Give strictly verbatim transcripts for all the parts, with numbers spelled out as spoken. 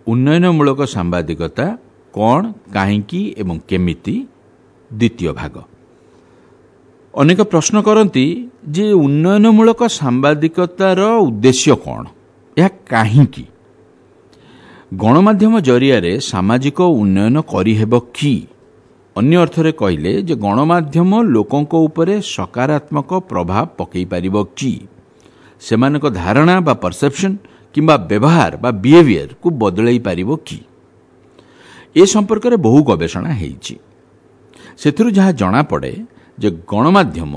ଉନ୍ନୟନମୂଳକ ସାମ୍ବାଦିକତା କ'ଣ, କାହିଁକି ଏବଂ କେମିତି, ଦ୍ୱିତୀୟ ଭାଗ। ଅନେକ ପ୍ରଶ୍ନ କରନ୍ତି ଯେ ଉନ୍ନୟନମୂଳକ ସାମ୍ବାଦିକତାର ଉଦ୍ଦେଶ୍ୟ କ'ଣ, ଏହା କାହିଁକି? ଗଣମାଧ୍ୟମ ଜରିଆରେ ସାମାଜିକ ଉନ୍ନୟନ କରିହେବ କି? ଅନ୍ୟ ଅର୍ଥରେ କହିଲେ ଯେ ଗଣମାଧ୍ୟମ ଲୋକଙ୍କ ଉପରେ ସକାରାତ୍ମକ ପ୍ରଭାବ ପକାଇ ପାରିବ କି? ସେମାନଙ୍କ ଧାରଣା ବା ପରସେପ୍ସନ୍ କିମ୍ବା ବ୍ୟବହାର ବା ବିହେଭିୟରକୁ ବଦଳାଇ ପାରିବ କି? ଏ ସମ୍ପର୍କରେ ବହୁ ଗବେଷଣା ହେଇଛି। ସେଥିରୁ ଯାହା ଜଣାପଡ଼େ ଯେ ଗଣମାଧ୍ୟମ,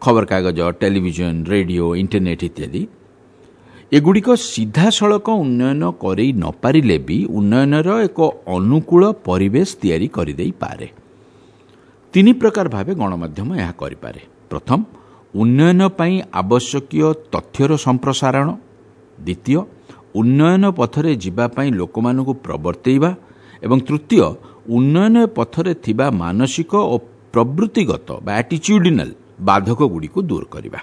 ଖବରକାଗଜ, ଟେଲିଭିଜନ, ରେଡ଼ିଓ, ଇଣ୍ଟରନେଟ୍ ଇତ୍ୟାଦି, ଏଗୁଡ଼ିକ ସିଧାସଳଖ ଉନ୍ନୟନ କରେଇ ନପାରିଲେ ବି ଉନ୍ନୟନର ଏକ ଅନୁକୂଳ ପରିବେଶ ତିଆରି କରିଦେଇପାରେ। ତିନି ପ୍ରକାର ଭାବେ ଗଣମାଧ୍ୟମ ଏହା କରିପାରେ। ପ୍ରଥମ, ଉନ୍ନୟନ ପାଇଁ ଆବଶ୍ୟକୀୟ ତଥ୍ୟର ସମ୍ପ୍ରସାରଣ। ଦ୍ୱିତୀୟ, ଉନ୍ନୟନ ପଥରେ ଯିବା ପାଇଁ ଲୋକମାନଙ୍କୁ ପ୍ରବର୍ତ୍ତେଇବା। ଏବଂ ତୃତୀୟ, ଉନ୍ନୟନ ପଥରେ ଥିବା ମାନସିକ ଓ ପ୍ରବୃତ୍ତିଗତ ବା ଆଟିଚ୍ୟୁଡିନାଲ ବାଧକଗୁଡ଼ିକୁ ଦୂର କରିବା।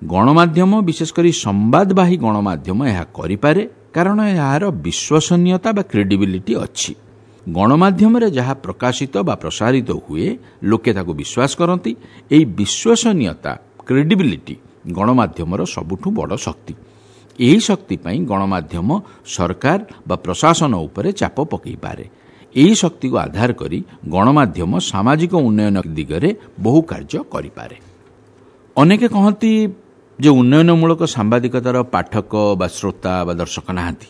ଗଣମାଧ୍ୟମ, ବିଶେଷ କରି ସମ୍ବାଦବାହୀ ଗଣମାଧ୍ୟମ ଏହା କରିପାରେ, କାରଣ ଏହାର ବିଶ୍ୱସନୀୟତା ବା କ୍ରେଡିବିଲିଟି ଅଛି। ଗଣମାଧ୍ୟମରେ ଯାହା ପ୍ରକାଶିତ ବା ପ୍ରସାରିତ ହୁଏ, ଲୋକେ ତାକୁ ବିଶ୍ୱାସ କରନ୍ତି। ଏହି ବିଶ୍ୱସନୀୟତା, କ୍ରେଡିବିଲିଟି ଗଣମାଧ୍ୟମର ସବୁଠୁ ବଡ଼ ଶକ୍ତି। ଏହି ଶକ୍ତି ପାଇଁ ଗଣମାଧ୍ୟମ ସରକାର ବା ପ୍ରଶାସନ ଉପରେ ଚାପ ପକାଇପାରେ। ଏହି ଶକ୍ତିକୁ ଆଧାର କରି ଗଣମାଧ୍ୟମ ସାମାଜିକ ଉନ୍ନୟନ ଦିଗରେ ବହୁ କାର୍ଯ୍ୟ କରିପାରେ। ଅନେକେ କହନ୍ତି ଯେ ଉନ୍ନୟନମୂଳକ ସାମ୍ବାଦିକତାର ପାଠକ ବା ଶ୍ରୋତା ବା ଦର୍ଶକ ନାହାନ୍ତି,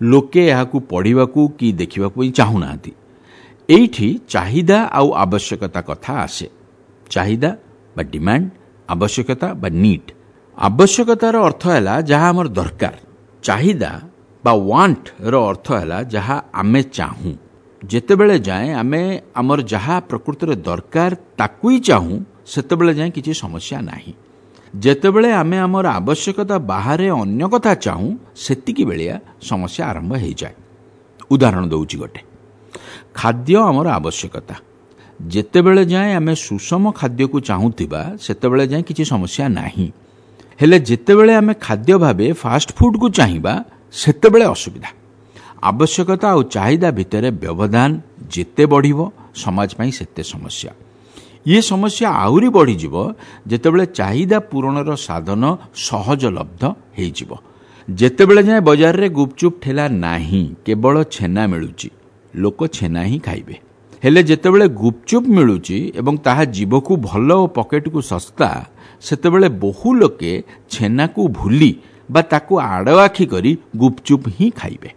ଲୋକେ ଏହାକୁ ପଢ଼ିବାକୁ କି ଦେଖିବାକୁ ହିଁ ଚାହୁଁନାହାନ୍ତି। ଏଇଠି ଚାହିଦା ଆଉ ଆବଶ୍ୟକତା କଥା ଆସେ। ଚାହିଦା ବା ଡିମାଣ୍ଡ, ଆବଶ୍ୟକତା ବା ନିଡ୍। ଆବଶ୍ୟକତାର ଅର୍ଥ ହେଲା ଯାହା ଆମର ଦରକାର। ଚାହିଦା ବା ୱାଣ୍ଟର ଅର୍ଥ ହେଲା ଯାହା ଆମେ ଚାହୁଁ। ଯେତେବେଳେ ଯାଏଁ ଆମେ ଆମର ଯାହା ପ୍ରକୃତରେ ଦରକାର ତାକୁ ହିଁ ଚାହୁଁ, ସେତେବେଳେ ଯାଏଁ କିଛି ସମସ୍ୟା ନାହିଁ। ଯେତେବେଳେ ଆମେ ଆମର ଆବଶ୍ୟକତା ବାହାରେ ଅନ୍ୟ କଥା ଚାହୁଁ, ସେତିକି ବେଳିଆ ସମସ୍ୟା ଆରମ୍ଭ ହେଇଯାଏ। ଉଦାହରଣ ଦେଉଛି ଗୋଟେ, ଖାଦ୍ୟ ଆମର ଆବଶ୍ୟକତା। ଯେତେବେଳେ ଯାଏଁ ଆମେ ସୁଷମ ଖାଦ୍ୟକୁ ଚାହୁଁଥିବା, ସେତେବେଳେ ଯାଏଁ କିଛି ସମସ୍ୟା ନାହିଁ। ହେଲେ ଯେତେବେଳେ ଆମେ ଖାଦ୍ୟ ଭାବେ ଫାଷ୍ଟଫୁଡ଼କୁ ଚାହିଁବା, ସେତେବେଳେ ଅସୁବିଧା। ଆବଶ୍ୟକତା ଆଉ ଚାହିଦା ଭିତରେ ବ୍ୟବଧାନ ଯେତେ ବଢ଼ିବ, ସମାଜ ପାଇଁ ସେତେ ସମସ୍ୟା। ଇଏ ସମସ୍ୟା ଆହୁରି ବଢ଼ିଯିବ ଯେତେବେଳେ ଚାହିଦା ପୂରଣର ସାଧନ ସହଜଲବ୍ଧ ହେଇଯିବ। ଯେତେବେଳେ ଯାଏଁ ବଜାରରେ ଗୁପଚୁପ୍ ଠେଲା ନାହିଁ, କେବଳ ଛେନା ମିଳୁଛି, ଲୋକ ଛେନା ହିଁ ଖାଇବେ। ହେଲେ ଯେତେବେଳେ ଗୁପଚୁପ୍ ମିଳୁଛି ଏବଂ ତାହା ଜିଭକୁ ଭଲ ଓ ପକେଟକୁ ଶସ୍ତା, ସେତେବେଳେ ବହୁ ଲୋକେ ଛେନାକୁ ଭୁଲି ବା ତାକୁ ଆଡ଼ଆଖି କରି ଗୁପଚୁପ୍ ହିଁ ଖାଇବେ।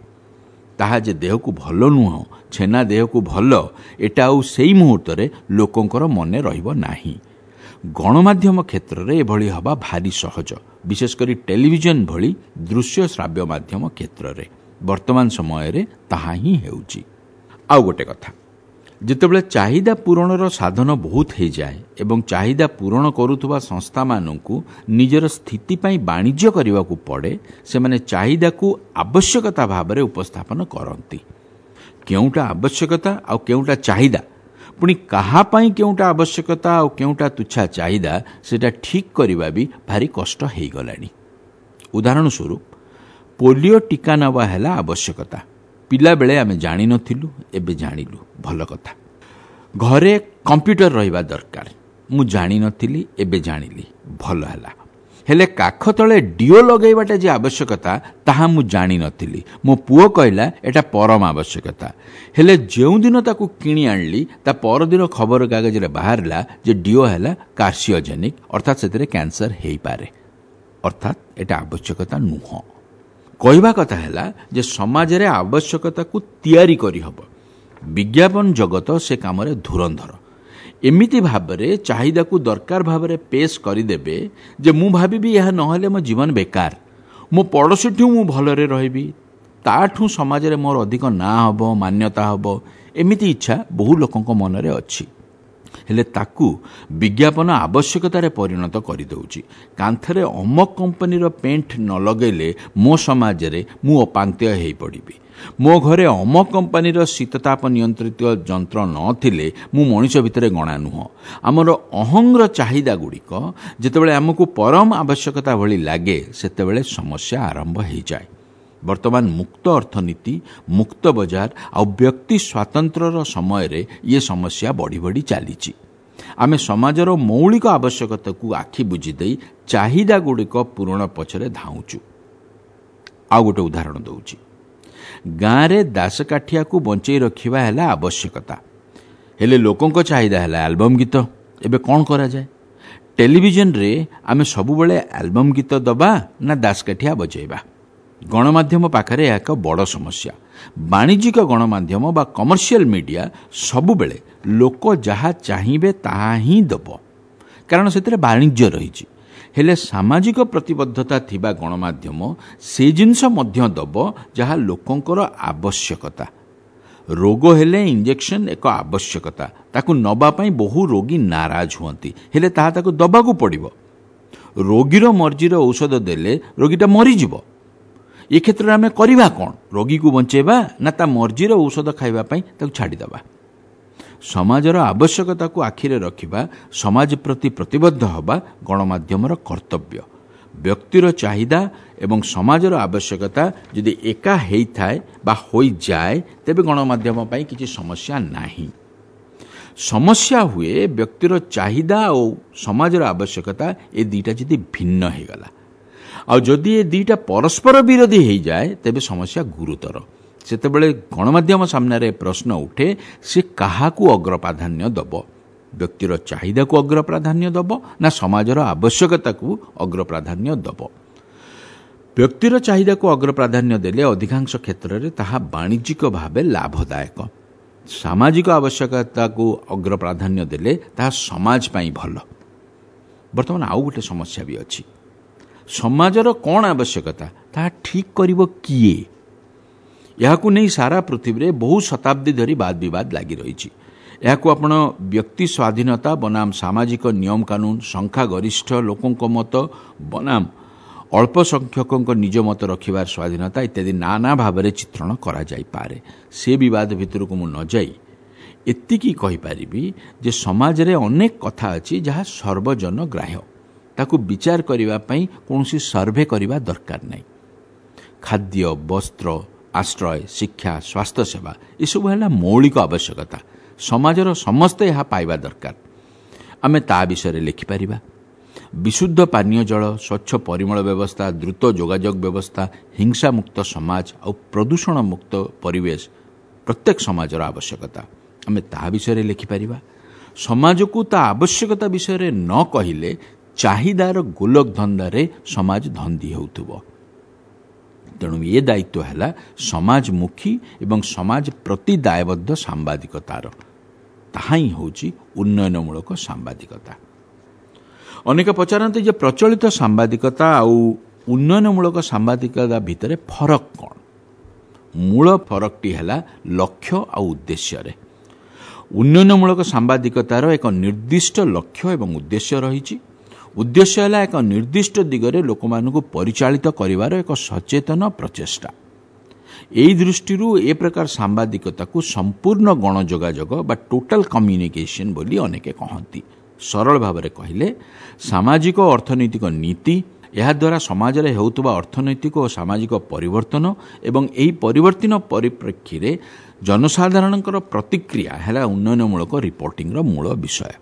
ତାହା ଯେ ଦେହକୁ ଭଲ ନୁହଁ, ଛେନା ଦେହକୁ ଭଲ, ଏଟା ଆଉ ସେଇ ମୁହୂର୍ତ୍ତରେ ଲୋକଙ୍କର ମନେ ରହିବ ନାହିଁ। ଗଣମାଧ୍ୟମ କ୍ଷେତ୍ରରେ ଏଭଳି ହେବା ଭାରି ସହଜ, ବିଶେଷ କରି ଟେଲିଭିଜନ ଭଳି ଦୃଶ୍ୟ ଶ୍ରାବ୍ୟ ମାଧ୍ୟମ କ୍ଷେତ୍ରରେ। ବର୍ତ୍ତମାନ ସମୟରେ ତାହା ହିଁ ହେଉଛି। ଆଉ ଗୋଟେ କଥା, ଯେତେବେଳେ ଚାହିଦା ପୂରଣର ସାଧନ ବହୁତ ହେଇଯାଏ ଏବଂ ଚାହିଦା ପୂରଣ କରୁଥିବା ସଂସ୍ଥାମାନଙ୍କୁ ନିଜର ସ୍ଥିତି ପାଇଁ ବାଣିଜ୍ୟ କରିବାକୁ ପଡ଼େ, ସେମାନେ ଚାହିଦାକୁ ଆବଶ୍ୟକତା ଭାବରେ ଉପସ୍ଥାପନ କରନ୍ତି। କେଉଁଟା ଆବଶ୍ୟକତା ଆଉ କେଉଁଟା ଚାହିଦା, ପୁଣି କାହା ପାଇଁ କେଉଁଟା ଆବଶ୍ୟକତା ଆଉ କେଉଁଟା ତୁଚ୍ଛା ଚାହିଦା, ସେଇଟା ଠିକ୍ କରିବା ବି ଭାରି କଷ୍ଟ ହେଇଗଲାଣି। ଉଦାହରଣ ସ୍ୱରୂପ, ପୋଲିଓ ଟୀକା ନେବା ହେଲା ଆବଶ୍ୟକତା। ପିଲାବେଳେ ଆମେ ଜାଣିନଥିଲୁ, ଏବେ ଜାଣିଲୁ, ଭଲ କଥା। ଘରେ କମ୍ପ୍ୟୁଟର ରହିବା ଦରକାର, ମୁଁ ଜାଣିନଥିଲି, ଏବେ ଜାଣିଲି, ଭଲ ହେଲା। ହେଲେ କାଖ ତଳେ ଡିଓ ଲଗାଇବାଟା ଯେ ଆବଶ୍ୟକତା, ତାହା ମୁଁ ଜାଣିନଥିଲି। ମୋ ପୁଅ କହିଲା ଏଟା ପରମ ଆବଶ୍ୟକତା। ହେଲେ ଯେଉଁଦିନ ତାକୁ କିଣି ଆଣିଲି, ତା ପରଦିନ ଖବରକାଗଜରେ ବାହାରିଲା ଯେ ଡିଓ ହେଲା କାର୍ସିଓଜେନିକ୍, ଅର୍ଥାତ୍ ସେଥିରେ କ୍ୟାନ୍ସର ହେଇପାରେ, ଅର୍ଥାତ୍ ଏଟା ଆବଶ୍ୟକତା ନୁହଁ। କହିବା କଥା ହେଲା ଯେ ସମାଜରେ ଆବଶ୍ୟକତାକୁ ତିଆରି କରିହେବ। ବିଜ୍ଞାପନ ଜଗତ ସେ କାମରେ ଧୁରନ୍ଧର। ଏମିତି ଭାବରେ ଚାହିଦାକୁ ଦରକାର ଭାବରେ ପେଶ କରିଦେବେ ଯେ ମୁଁ ଭାବିବି ଏହା ନହେଲେ ମୋ ଜୀବନ ବେକାର, ମୋ ପଡ଼ୋଶୀଠୁ ମୁଁ ଭଲରେ ରହିବି, ତାଠୁ ସମାଜରେ ମୋର ଅଧିକ ନାଁ ହେବ, ମାନ୍ୟତା ହେବ। ଏମିତି ଇଚ୍ଛା ବହୁ ଲୋକଙ୍କ ମନରେ ଅଛି। ହେଲେ ତାକୁ ବିଜ୍ଞାପନ ଆବଶ୍ୟକତାରେ ପରିଣତ କରିଦେଉଛି। କାନ୍ଥରେ ଅମକ କମ୍ପାନୀର ପେଣ୍ଟ ନ ଲଗାଇଲେ ମୋ ସମାଜରେ ମୁଁ ଅପାଙ୍କ୍ତେୟ ହେଇପଡ଼ିବି। ମୋ ଘରେ ଅମକ କମ୍ପାନୀର ଶୀତତାପ ନିୟନ୍ତ୍ରିତ ଯନ୍ତ୍ର ନଥିଲେ ମୁଁ ମଣିଷ ଭିତରେ ଗଣା ନୁହଁ। ଆମର ଅହଂର ଚାହିଦା ଗୁଡ଼ିକ ଯେତେବେଳେ ଆମକୁ ପରମ ଆବଶ୍ୟକତା ଭଳି ଲାଗେ, ସେତେବେଳେ ସମସ୍ୟା ଆରମ୍ଭ ହେଇଯାଏ। ବର୍ତ୍ତମାନ ମୁକ୍ତ ଅର୍ଥନୀତି, ମୁକ୍ତ ବଜାର ଆଉ ବ୍ୟକ୍ତି ସ୍ୱାତନ୍ତ୍ର୍ୟର ସମୟରେ ଇଏ ସମସ୍ୟା ବଢ଼ି ବଢ଼ି ଚାଲିଛି। ଆମେ ସମାଜର ମୌଳିକ ଆବଶ୍ୟକତାକୁ ଆଖି ବୁଜିଦେଇ ଚାହିଦାଗୁଡ଼ିକ ପୂରଣ ପଛରେ ଧାଉଁଛୁ। ଆଉ ଗୋଟେ ଉଦାହରଣ ଦେଉଛି। ଗାଁରେ ଦାସକାଠିଆକୁ ବଞ୍ଚେଇ ରଖିବା ହେଲା ଆବଶ୍ୟକତା, ହେଲେ ଲୋକଙ୍କ ଚାହିଦା ହେଲା ଆଲବମ୍ ଗୀତ। ଏବେ କ'ଣ କରାଯାଏ? ଟେଲିଭିଜନରେ ଆମେ ସବୁବେଳେ ଆଲବମ୍ ଗୀତ ଦେବା ନା ଦାସକାଠିଆ ବଜାଇବା? ଗଣମାଧ୍ୟମ ପାଖରେ ଏହା ଏକ ବଡ଼ ସମସ୍ୟା। ବାଣିଜ୍ୟିକ ଗଣମାଧ୍ୟମ ବା କମର୍ସିଆଲ ମିଡିଆ ସବୁବେଳେ ଲୋକ ଯାହା ଚାହିଁବେ ତାହା ହିଁ ଦେବ, କାରଣ ସେଥିରେ ବାଣିଜ୍ୟ ରହିଛି। ହେଲେ ସାମାଜିକ ପ୍ରତିବଦ୍ଧତା ଥିବା ଗଣମାଧ୍ୟମ ସେ ଜିନିଷ ମଧ୍ୟ ଦେବ ଯାହା ଲୋକଙ୍କର ଆବଶ୍ୟକତା। ରୋଗ ହେଲେ ଇଞ୍ଜେକ୍ସନ୍ ଏକ ଆବଶ୍ୟକତା, ତାକୁ ନେବା ପାଇଁ ବହୁ ରୋଗୀ ନାରାଜ ହୁଅନ୍ତି, ହେଲେ ତାହା ତାକୁ ଦେବାକୁ ପଡ଼ିବ। ରୋଗୀର ମର୍ଜିର ଔଷଧ ଦେଲେ ରୋଗୀଟା ମରିଯିବ। ଏ କ୍ଷେତ୍ରରେ ଆମେ କରିବା କ'ଣ? ରୋଗୀକୁ ବଞ୍ଚେଇବା ନା ତା ମର୍ଜିର ଔଷଧ ଖାଇବା ପାଇଁ ତାକୁ ଛାଡ଼ିଦେବା? ସମାଜର ଆବଶ୍ୟକତାକୁ ଆଖିରେ ରଖିବା, ସମାଜ ପ୍ରତି ପ୍ରତିବଦ୍ଧ ହେବା ଗଣମାଧ୍ୟମର କର୍ତ୍ତବ୍ୟ। ବ୍ୟକ୍ତିର ଚାହିଦା ଏବଂ ସମାଜର ଆବଶ୍ୟକତା ଯଦି ଏକା ହେଇଥାଏ ବା ହୋଇଯାଏ, ତେବେ ଗଣମାଧ୍ୟମ ପାଇଁ କିଛି ସମସ୍ୟା ନାହିଁ। ସମସ୍ୟା ହୁଏ ବ୍ୟକ୍ତିର ଚାହିଦା ଆଉ ସମାଜର ଆବଶ୍ୟକତା ଏ ଦୁଇଟା ଯଦି ଭିନ୍ନ ହେଇଗଲା, ଆଉ ଯଦି ଏ ଦୁଇଟା ପରସ୍ପର ବିରୋଧୀ ହେଇଯାଏ, ତେବେ ସମସ୍ୟା ଗୁରୁତର। ସେତେବେଳେ ଗଣମାଧ୍ୟମ ସାମ୍ନାରେ ପ୍ରଶ୍ନ ଉଠେ, ସେ କାହାକୁ ଅଗ୍ରପ୍ରାଧାନ୍ୟ ଦେବ? ବ୍ୟକ୍ତିର ଚାହିଦାକୁ ଅଗ୍ରପ୍ରାଧାନ୍ୟ ଦେବ ନା ସମାଜର ଆବଶ୍ୟକତାକୁ ଅଗ୍ରପ୍ରାଧାନ୍ୟ ଦେବ? ବ୍ୟକ୍ତିର ଚାହିଦାକୁ ଅଗ୍ରପ୍ରାଧାନ୍ୟ ଦେଲେ ଅଧିକାଂଶ କ୍ଷେତ୍ରରେ ତାହା ବାଣିଜ୍ୟିକ ଭାବେ ଲାଭଦାୟକ। ସାମାଜିକ ଆବଶ୍ୟକତାକୁ ଅଗ୍ରପ୍ରାଧାନ୍ୟ ଦେଲେ ତାହା ସମାଜ ପାଇଁ ଭଲ। ବର୍ତ୍ତମାନ ଆଉ ଗୋଟେ ସମସ୍ୟା ବି ଅଛି। ସମାଜର କ'ଣ ଆବଶ୍ୟକତା ତାହା ଠିକ୍ କରିବ କିଏ? ଏହାକୁ ନେଇ ସାରା ପୃଥିବୀରେ ବହୁ ଶତାବ୍ଦୀ ଧରି ବାଦ ବିବାଦ ଲାଗି ରହିଛି। ଏହାକୁ ଆପଣ ବ୍ୟକ୍ତି ସ୍ୱାଧୀନତା ବନାମ ସାମାଜିକ ନିୟମ କାନୁନ, ସଂଖ୍ୟାଗରିଷ୍ଠ ଲୋକଙ୍କ ମତ ବନାମ ଅଳ୍ପ ସଂଖ୍ୟକଙ୍କ ନିଜ ମତ ରଖିବାର ସ୍ୱାଧୀନତା ଇତ୍ୟାଦି ନାନା ଭାବରେ ଚିତ୍ରଣ କରାଯାଇପାରେ। ସେ ବିବାଦ ଭିତରକୁ ମୁଁ ନ ଯାଇ ଏତିକି କହିପାରିବି ଯେ ସମାଜରେ ଅନେକ କଥା ଅଛି ଯାହା ସର୍ବଜନ ଗ୍ରାହ୍ୟ, ତାକୁ ବିଚାର କରିବା ପାଇଁ କୌଣସି ସର୍ଭେ କରିବା ଦରକାର ନାହିଁ। ଖାଦ୍ୟ, ବସ୍ତ୍ର, ଆଶ୍ରୟ, ଶିକ୍ଷା, ସ୍ୱାସ୍ଥ୍ୟସେବା ଏସବୁ ହେଲା ମୌଳିକ ଆବଶ୍ୟକତା। ସମାଜର ସମସ୍ତେ ଏହା ପାଇବା ଦରକାର। ଆମେ ତା ବିଷୟରେ ଲେଖିପାରିବା। ବିଶୁଦ୍ଧ ପାନୀୟ ଜଳ, ସ୍ୱଚ୍ଛ ପରିମଳ ବ୍ୟବସ୍ଥା, ଦ୍ରୁତ ଯୋଗାଯୋଗ ବ୍ୟବସ୍ଥା, ହିଂସାମୁକ୍ତ ସମାଜ ଆଉ ପ୍ରଦୂଷଣମୁକ୍ତ ପରିବେଶ ପ୍ରତ୍ୟେକ ସମାଜର ଆବଶ୍ୟକତା। ଆମେ ତାହା ବିଷୟରେ ଲେଖିପାରିବା। ସମାଜକୁ ତା ଆବଶ୍ୟକତା ବିଷୟରେ ନ କହିଲେ ଚାହିଦାର ଗୋଲକ ଧନ୍ଦାରେ ସମାଜ ଧନ୍ଦି ହେଉଥିବ। ତେଣୁ ଏ ଦାୟିତ୍ୱ ହେଲା ସମାଜମୁଖୀ ଏବଂ ସମାଜ ପ୍ରତି ଦାୟବଦ୍ଧ ସାମ୍ବାଦିକତାର। ତାହା ହିଁ ହେଉଛି ଉନ୍ନୟନମୂଳକ ସାମ୍ବାଦିକତା। ଅନେକ ପଚାରନ୍ତି ଯେ ପ୍ରଚଳିତ ସାମ୍ବାଦିକତା ଆଉ ଉନ୍ନୟନମୂଳକ ସାମ୍ବାଦିକତା ଭିତରେ ଫରକ କ'ଣ? ମୂଳ ଫରକଟି ହେଲା ଲକ୍ଷ୍ୟ ଆଉ ଉଦ୍ଦେଶ୍ୟରେ। ଉନ୍ନୟନମୂଳକ ସାମ୍ବାଦିକତାର ଏକ ନିର୍ଦ୍ଦିଷ୍ଟ ଲକ୍ଷ୍ୟ ଏବଂ ଉଦ୍ଦେଶ୍ୟ ରହିଛି। ଉଦ୍ଦେଶ୍ୟ ହେଲା ଏକ ନିର୍ଦ୍ଦିଷ୍ଟ ଦିଗରେ ଲୋକମାନଙ୍କୁ ପରିଚାଳିତ କରିବାର ଏକ ସଚେତନ ପ୍ରଚେଷ୍ଟା। ଏହି ଦୃଷ୍ଟିରୁ ଏ ପ୍ରକାର ସାମ୍ବାଦିକତାକୁ ସମ୍ପୂର୍ଣ୍ଣ ଗଣଯୋଗାଯୋଗ ବା ଟୋଟାଲ କମ୍ୟୁନିକେସନ୍ ବୋଲି ଅନେକେ କହନ୍ତି। ସରଳ ଭାବରେ କହିଲେ, ସାମାଜିକ ଅର୍ଥନୈତିକ ନୀତି, ଏହାଦ୍ୱାରା ସମାଜରେ ହେଉଥିବା ଅର୍ଥନୈତିକ ଓ ସାମାଜିକ ପରିବର୍ତ୍ତନ ଏବଂ ଏହି ପରିବର୍ତ୍ତନ ପରିପ୍ରେକ୍ଷୀରେ ଜନସାଧାରଣଙ୍କର ପ୍ରତିକ୍ରିୟା ହେଲା ଉନ୍ନୟନମୂଳକ ରିପୋର୍ଟିଂର ମୂଳ ବିଷୟ।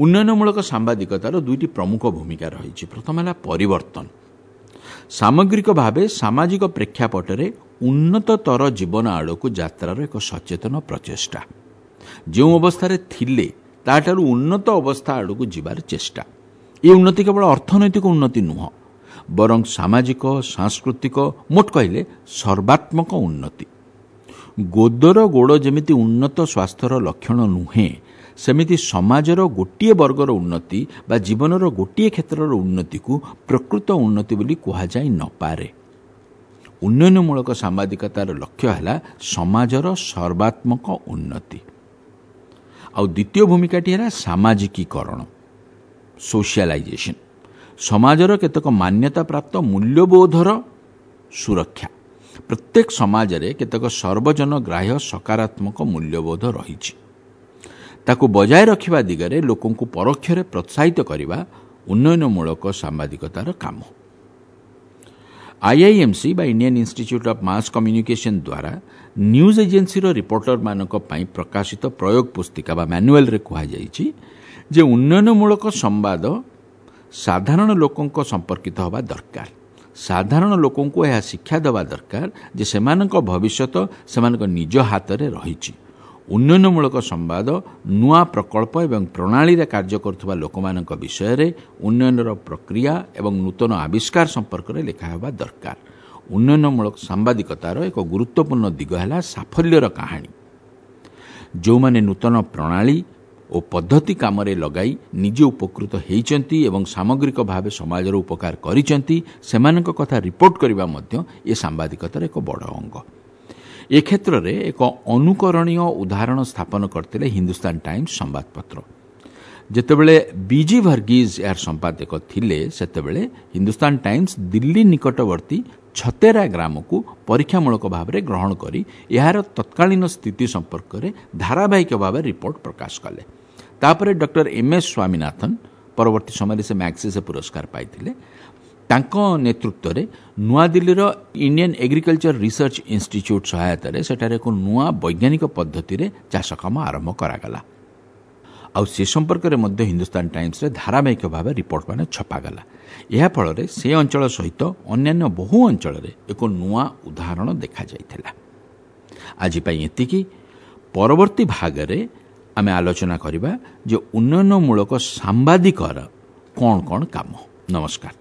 ଉନ୍ନୟନମୂଳକ ସାମ୍ବାଦିକତାର ଦୁଇଟି ପ୍ରମୁଖ ଭୂମିକା ରହିଛି। ପ୍ରଥମ ହେଲା ପରିବର୍ତ୍ତନ। ସାମଗ୍ରିକ ଭାବେ ସାମାଜିକ ପ୍ରେକ୍ଷାପଟରେ ଉନ୍ନତତର ଜୀବନ ଆଡ଼କୁ ଯାତ୍ରାର ଏକ ସଚେତନ ପ୍ରଚେଷ୍ଟା। ଯେଉଁ ଅବସ୍ଥାରେ ଥିଲେ ତାଠାରୁ ଉନ୍ନତ ଅବସ୍ଥା ଆଡ଼କୁ ଯିବାର ଚେଷ୍ଟା। ଏ ଉନ୍ନତି କେବଳ ଅର୍ଥନୈତିକ ଉନ୍ନତି ନୁହଁ, ବରଂ ସାମାଜିକ, ସାଂସ୍କୃତିକ, ମୋଟ କହିଲେ ସର୍ବାତ୍ମକ ଉନ୍ନତି। ଗୋଦର ଗୋଡ଼ ଯେମିତି ଉନ୍ନତ ସ୍ୱାସ୍ଥ୍ୟର ଲକ୍ଷଣ ନୁହେଁ, ସେମିତି ସମାଜର ଗୋଟିଏ ବର୍ଗର ଉନ୍ନତି ବା ଜୀବନର ଗୋଟିଏ କ୍ଷେତ୍ରର ଉନ୍ନତିକୁ ପ୍ରକୃତ ଉନ୍ନତି ବୋଲି କୁହାଯାଇ ନପାରେ। ଉନ୍ନୟନମୂଳକ ସାମ୍ବାଦିକତାର ଲକ୍ଷ୍ୟ ହେଲା ସମାଜର ସର୍ବାତ୍ମକ ଉନ୍ନତି। ଆଉ ଦ୍ୱିତୀୟ ଭୂମିକାଟି ହେଲା ସାମାଜିକୀକରଣ, ସୋସିଆଲାଇଜେସନ୍। ସମାଜର କେତେକ ମାନ୍ୟତାପ୍ରାପ୍ତ ମୂଲ୍ୟବୋଧର ସୁରକ୍ଷା। ପ୍ରତ୍ୟେକ ସମାଜରେ କେତେକ ସର୍ବଜନ ଗ୍ରାହ୍ୟ ସକାରାତ୍ମକ ମୂଲ୍ୟବୋଧ ରହିଛି। ତାକୁ ବଜାୟ ରଖିବା ଦିଗରେ ଲୋକଙ୍କୁ ପରୋକ୍ଷରେ ପ୍ରୋତ୍ସାହିତ କରିବା ଉନ୍ନୟନମୂଳକ ସାମ୍ବାଦିକତାର କାମ। ଆଇଆଇଏମ୍ସି ବା Indian Institute of Mass Communication ଦ୍ୱାରା ନ୍ୟୁଜ୍ ଏଜେନ୍ସିର ରିପୋର୍ଟରମାନଙ୍କ ପାଇଁ ପ୍ରକାଶିତ ପ୍ରୟୋଗ ପୁସ୍ତିକା ବା ମ୍ୟାନୁଆଲରେ କୁହାଯାଇଛି ଯେ ଉନ୍ନୟନମୂଳକ ସମ୍ବାଦ ସାଧାରଣ ଲୋକଙ୍କ ସମ୍ପର୍କିତ ହେବା ଦରକାର। ସାଧାରଣ ଲୋକଙ୍କୁ ଏହା ଶିକ୍ଷା ଦେବା ଦରକାର ଯେ ସେମାନଙ୍କ ଭବିଷ୍ୟତ ସେମାନଙ୍କ ନିଜ ହାତରେ ରହିଛି। ଉନ୍ନୟନମୂଳକ ସମ୍ବାଦ ନୂଆ ପ୍ରକଳ୍ପ ଏବଂ ପ୍ରଣାଳୀରେ କାର୍ଯ୍ୟ କରୁଥିବା ଲୋକମାନଙ୍କ ବିଷୟରେ, ଉନ୍ନୟନର ପ୍ରକ୍ରିୟା ଏବଂ ନୂତନ ଆବିଷ୍କାର ସମ୍ପର୍କରେ ଲେଖା ହେବା ଦରକାର। ଉନ୍ନୟନମୂଳକ ସାମ୍ବାଦିକତାର ଏକ ଗୁରୁତ୍ୱପୂର୍ଣ୍ଣ ଦିଗ ହେଲା ସାଫଲ୍ୟର କାହାଣୀ। ଯେଉଁମାନେ ନୂତନ ପ୍ରଣାଳୀ ଓ ପଦ୍ଧତି କାମରେ ଲଗାଇ ନିଜେ ଉପକୃତ ହୋଇଛନ୍ତି ଏବଂ ସାମଗ୍ରିକ ଭାବେ ସମାଜର ଉପକାର କରିଛନ୍ତି, ସେମାନଙ୍କ କଥା ରିପୋର୍ଟ କରିବା ମଧ୍ୟ ଏ ସାମ୍ବାଦିକତାର ଏକ ବଡ଼ ଅଙ୍ଗ। ଏ କ୍ଷେତ୍ରରେ ଏକ ଅନୁକରଣୀୟ ଉଦାହରଣ ସ୍ଥାପନ କରିଥିଲେ ହିନ୍ଦୁସ୍ତାନ ଟାଇମ୍ସ ସମ୍ବାଦପତ୍ର। ଯେତେବେଳେ ବିଜି ଭର୍ଗିଜ୍ ଏହାର ସମ୍ପାଦକ ଥିଲେ, ସେତେବେଳେ ହିନ୍ଦୁସ୍ତାନ ଟାଇମ୍ସ ଦିଲ୍ଲୀ ନିକଟବର୍ତ୍ତୀ ଛତେରା ଗ୍ରାମକୁ ପରୀକ୍ଷାମୂଳକ ଭାବରେ ଗ୍ରହଣ କରି ଏହାର ତତ୍କାଳୀନ ସ୍ଥିତି ସମ୍ପର୍କରେ ଧାରାବାହିକ ଭାବେ ରିପୋର୍ଟ ପ୍ରକାଶ କଲେ। ତାପରେ ଡକ୍ଟର ଏମ୍ ଏସ୍ ସ୍ୱାମୀନାଥନ, ପରବର୍ତ୍ତୀ ସମୟରେ ସେ ମ୍ୟାକ୍ସିସେ ପୁରସ୍କାର ପାଇଥିଲେ, ତାଙ୍କ ନେତୃତ୍ୱରେ ନୂଆଦିଲ୍ଲୀର ଇଣ୍ଡିଆନ୍ ଏଗ୍ରିକଲଚର ରିସର୍ଚ୍ଚ ଇନଷ୍ଟିଚ୍ୟୁଟ୍ ସହାୟତାରେ ସେଠାରେ ଏକ ନୂଆ ବୈଜ୍ଞାନିକ ପଦ୍ଧତିରେ ଚାଷ କାମ ଆରମ୍ଭ କରାଗଲା। ଆଉ ସେ ସମ୍ପର୍କରେ ମଧ୍ୟ ହିନ୍ଦୁସ୍ତାନ ଟାଇମ୍ସରେ ଧାରାବାହିକ ଭାବେ ରିପୋର୍ଟମାନ ଛପାଗଲା। ଏହା ଫଳରେ ସେ ଅଞ୍ଚଳ ସହିତ ଅନ୍ୟାନ୍ୟ ବହୁ ଅଞ୍ଚଳରେ ଏକ ନୂଆ ଉଦାହରଣ ଦେଖାଯାଇଥିଲା। ଆଜି ପାଇଁ ଏତିକି। ପରବର୍ତ୍ତୀ ଭାଗରେ ଆମେ ଆଲୋଚନା କରିବା ଯେ ଉନ୍ନୟନମୂଳକ ସାମ୍ବାଦିକର କ'ଣ କ'ଣ କାମ। ନମସ୍କାର।